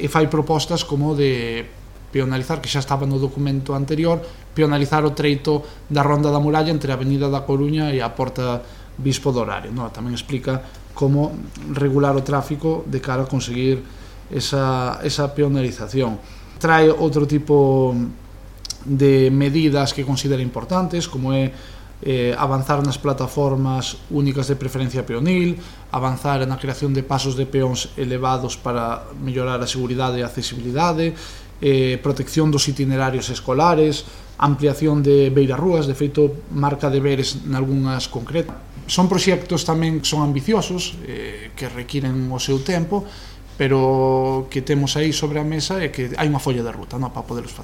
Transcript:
e fai propostas como de peonalizar, que xa estaba no documento anterior, peonalizar o treito da Ronda da Muralla entre a Avenida da Coruña e a Porta Bispo do Horario. Tamén explica como regular o tráfico de cara a conseguir esa peonalización. Trae outro tipo de medidas que considera importantes, como é avanzar nas plataformas únicas de preferencia peonil, avanzar na creación de pasos de peóns elevados para mellorar a seguridade e a accesibilidade, protección dos itinerarios escolares, ampliación de beirarrúas, de feito marca deberes nalgúnas concretas. Son proxectos tamén que son ambiciosos, que requiren o seu tempo, pero que temos aí sobre a mesa e que hai unha folla de ruta para poderlos facer.